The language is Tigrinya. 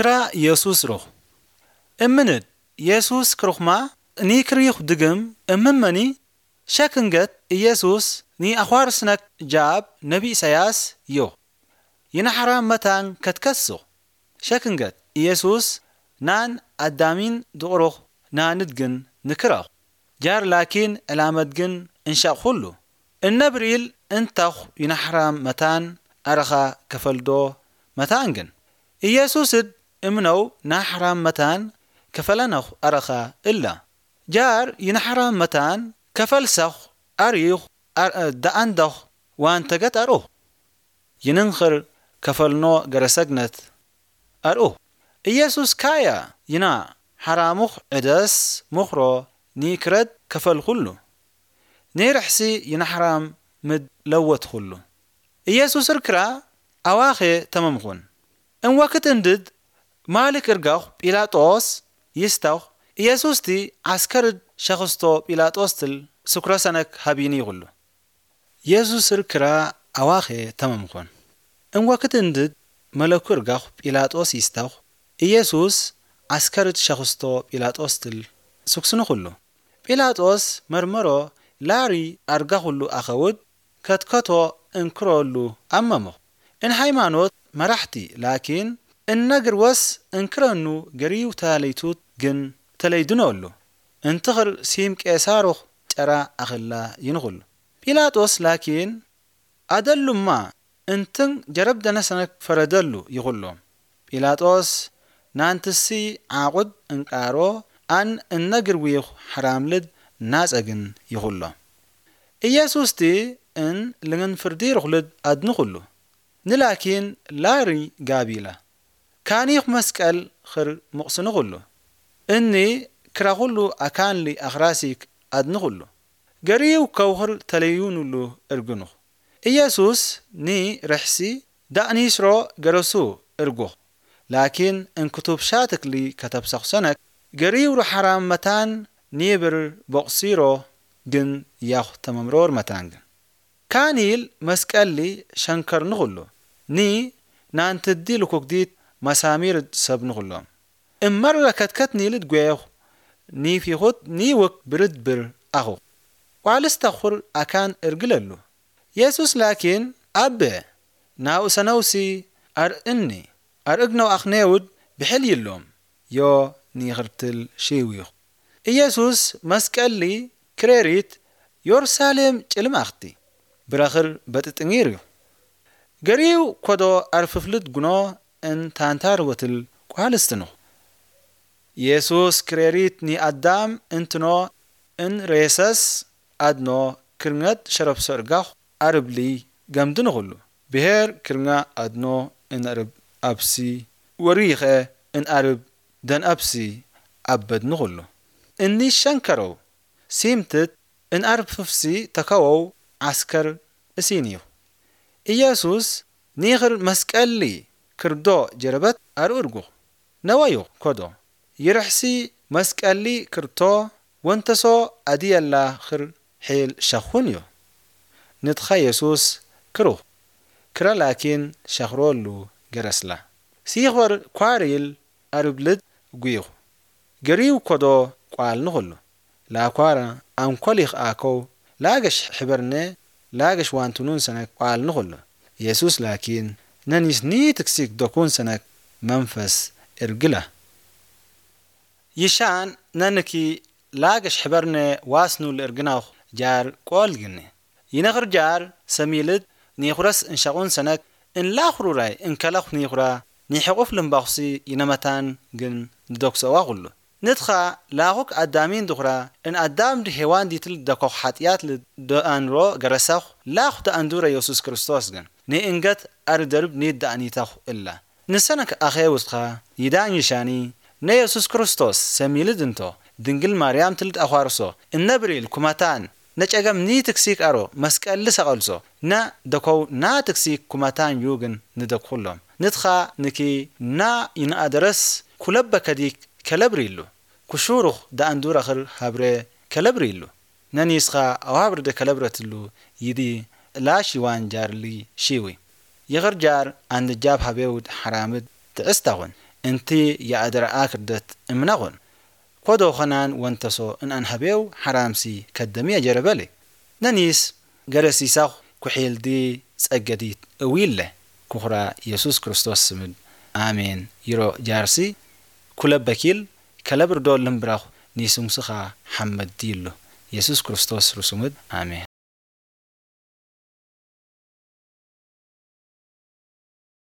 ክራ ኢየሱስ ሩኽ። እምንድ ኢየሱስ ክሩኽማ ኒክሪኽ ድግም እምመኒ ሸክንገት ኢየሱስ ኒኣዃርስነክ ጃብ ነቢ ኢሳያስ ዮኽ። ይናሕራ መታን ከትከስኽ ሸክንገት ኢየሱስ ናን ኣዳሚን ድቕሩኽ ናንድ ግን ንክረኽ። ጃር ላኪን ዕላመት ግን እንሻቕ ኹሉ። እነብርኢል እንታኹ ይናሕራም መታን ኣረኻ ከፈልዶ መታን ግን። ኢየሱስድ እምነው ናሕራም መታን ከፈለነኹ ኣረኻ እላ። ጃር ይናሕራም መታን ከፈልሰኹ ኣርዩኹ ኣር-፣ ደኣንደኹ ዋንተገት ኣርኡኹ። ይንንኽር ከፈልኖ ገረሰግነት ኣርኡኹ። ኢየሱስ ካያ ይና ሓራሙኽ ዕደስ ምኽሮ ኒክረድ ከፈልኩሉ። ኒርሕሲ ይናሕራም ምድ ለወትኹሉ። ኢየሱስ ርክራ ኣዋኼ ተመምኹን። እንወክት እንድድ ማልክ እርጋኹ ጲላጦስ ይስታኹ። ኢየሱስቲ ዓስከርድ ሸኽስቶ ጲላጦስ ትል ስኩረ ሰነክ ሃቢኒ ይኹሉ። ኢየሱስ ርክራ ኣዋኼ ተመምኹን። እንወክት እንድድ መለኩ እርጋኹ ጲላጦስ ይስታኹ። ኢየሱስ ዓስከርድ ሸኽስቶ ጲላጦስ ትል ስኩስኑ ኩሉ። ጲላጦስ መርመሮ ላሪ ኣርጋ ኩሉ ኣኸውድ ከትከቶ እንክሮሉ ኣመምኹ። እንሃይማኖት መራሕቲ ላኪን እነግርወስ እንክረኑ ገሪው ተለይቱት ግን ተለይድኖሉ። እንትኽር ሲም ቄሳሮኽ ጨራ ኣኸላ ይንኹሉ። ጲላጦስ ላኪን ኣደሉማ እንትን ጀረብ ደነሰነክ ፈረደሉ ይኹሎም። ጲላጦስ ናንትሲ ዓቑድ እንቃሮ ኣን እነግርዊኹ ሓራምልድ ናጸግን ይኹሎ። ኢየሱስቲ እን ልንግን ፍርዲ ርኹልድ ኣድንኹሉ። ንላኪን ላሪ ጋቢላ። ካኒኽ መስቀል ኽር ምቕስንኹሉ። እኒ ክራኹሉ ኣካንሊ ኣኽራሲክ ኣድንኹሉ። ገሪው ከውኽር ተለዩኑሉ እርግኑኽ። ኢየሱስ ኒ ርሕሲ ዳእኒስሮ ገረሱ እርጉኽ። ላኪን እንክቱብ ሻትክሊ ከተብሰኹ ሰነክ ገሪው ሩሓራም መታን ኒብር ቦቕሲሮ ግን ያኹ ተመምሮር መታን ግን። ካኒል መስቀሊ ሸንከርንኹሉ። ኒ ናንትዲ ልኩክዲት መሳሚር ሰብንኹሎም። እመረ ከትከት ኒልድ ጓየኹ ኒፊኹት ኒውክ ብርድብር ኣኹ። ቋልስ ተኹር ኣካን እርግለሉ። የሱስ ላኪን ኣበ ናኡ ሰነውሲ ኣርእኒ ኣርእግነው ኣኽኔውድ ብሕል ይሎም ዮ ኒኽርትል ሽዊኹ። ኢየሱስ መስቀሊ ክሬሪት ዮርሳሌም ጭልም ኣኽቲ ብረኽር በጥጥንጊር እዩ። ገሪው ኮዶ ኣርፍፍልድ ጉኖ እን ታንታር ወትል ቋልስትኑ። ኢየሱስ ክሬሪት ኒኣዳም እንትኖ እን ሬሰስ ኣድኖ ክርንገት ሸረብሶ እርጋኽ ኣርብሊ ገምድንኹሉ። ብሄር ክርንጋ ኣድኖ እን ኣርብ ኣብሲ ወሪኸ እን ኣርብ ደን ኣብሲ ኣበድንኹሉ። እኒ ሸንከረው ሲምትት እን ኣርብ ፍፍሲ ተከወው ዓስከር እሲንዩ። ኢየሱስ ኒኽር መስቀሊ ክርዶ ጀረበት ኣርእርጉ። ነወዩ ኮዶ ይርሕሲ መስቀሊ ክርቶ ወንተሶ ኣድየላ ኽር ሒል ሸኹን እዩ። ንትኻ የሱስ ክሩኽ ክረ ላኪን ሸኽሮሉ ገረስላ። ሲኽበር ኳሪል ኣርብልድ ጉይኹ። ገሪው ኮዶ ቋል ንኹሉ። ላኳራ ኣንኮሊኽ ኣከው ላገሽ ሕብርነ ላገሽ ዋንቱኑን ሰነክ ቋል ንኹሉ። የሱስ ላኪን ነኒስ ኒ ትክሲክ ዶኩን ሰነክ መንፈስ እርግላ። ይሻን ነንኪ ላገሽ ሕበርነ ዋስኑ ልእርግናኹ ጃር ቆል ግኒ። ይነኽር ጃር ሰሚልድ ኒኹረስ እንሸቑን ሰነክ እንላኹሩራይ እንከለኹ ኒኹራ ኒሕቑፍ ልምባኹሲ ይነመታን ግን ንደኩሰዋ ኩሉ። ንትኻ ላኹክ ኣዳሚን ድኹራ እን ኣዳም ድሄዋን ዲትል ደኮኽ ሓጢኣት ልደኣንሮ ገረሰኹ ላኹ ተኣንዱረ የሱስ ክርስቶስ ግን ንእንገት ኣርደርብ ኒድ ደኣኒተኹ እላ። ንሰነክ ኣኼውስኻ ይዳን ይሻኒ ነየሱስ ክርስቶስ ሰሚልድ እንቶ ድንግል ማርያም ትልድ ኣዃርሶ እነብሪል ኩመታን ነጨገም ኒትክሲክ ኣሮ መስቀል ልሰቐልሶ ነ ደኮው ና ትክሲክ ኩመታን ዩግን ንደኩሎም። ንትኻ ንኪ ና ይንኣደረስ ኩለበ ከዲክ ከለብሪሉ። ኩሹሩኽ ደኣንዱረኽር ሃብረ ከለብሪሉ። ነኒስኻ ኣዋብርደ ከለብረትሉ ይዲ ላሺዋን ጃርሊ ሺዊ። ይኽር ጃር ኣንድጃብ ሃቤውድ ሓራምድ ትዕስታኹን። እንቲ የኣደረኣ ክርደት እምናኹን። ኮዶ ኸናን ወንተሶ እንኣንሃቤው ሓራምሲ ከደምየ ጀረበሊ። ነኒስ ገረሲሳኹ ኩሒልዲ ጸገዲት እዊለ። ኩኹራ የሱስ ክርስቶስ ስምድ። ኣሜን። ይሮ ጃርሲ ኩለበኪል ከለብርዶ ልምብራኹ ኒስሙስኻ ሓመድ ድይሉ። የሱስ ክርስቶስ ርሱምድ። ኣሜን።